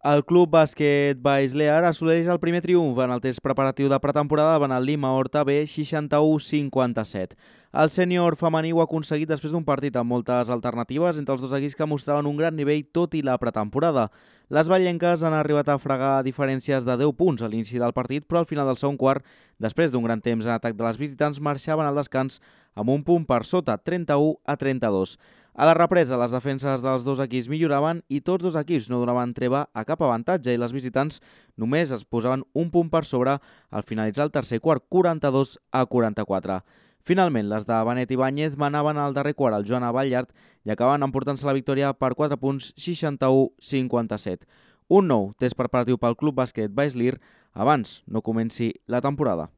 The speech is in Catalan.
El Club Bàsquet Baix-Lear assoleix el primer triomf en el test preparatiu de pretemporada davant el Lima Horta B 61-57. El sènior femení ho ha aconseguit després d'un partit amb moltes alternatives entre els dos equips que mostraven un gran nivell tot i la pretemporada. Les ballenques han arribat a fregar diferències de 10 punts a l'inici del partit, però al final del segon quart, després d'un gran temps en atac de les visitants, marxaven al descans amb un punt per sota, 31-32. A la represa, les defenses dels dos equips milloraven i tots dos equips no donaven treva a cap avantatge i les visitants només es posaven un punt per sobre al finalitzar el tercer quart, 42-44. Finalment, les de Benet Ibáñez manaven al darrer quart al Joana Ballart i acaben emportant-se la victòria per 4 punts, 61-57. Un nou test preparatiu pel Club Bàsquet Baix-Lear abans no comenci la temporada.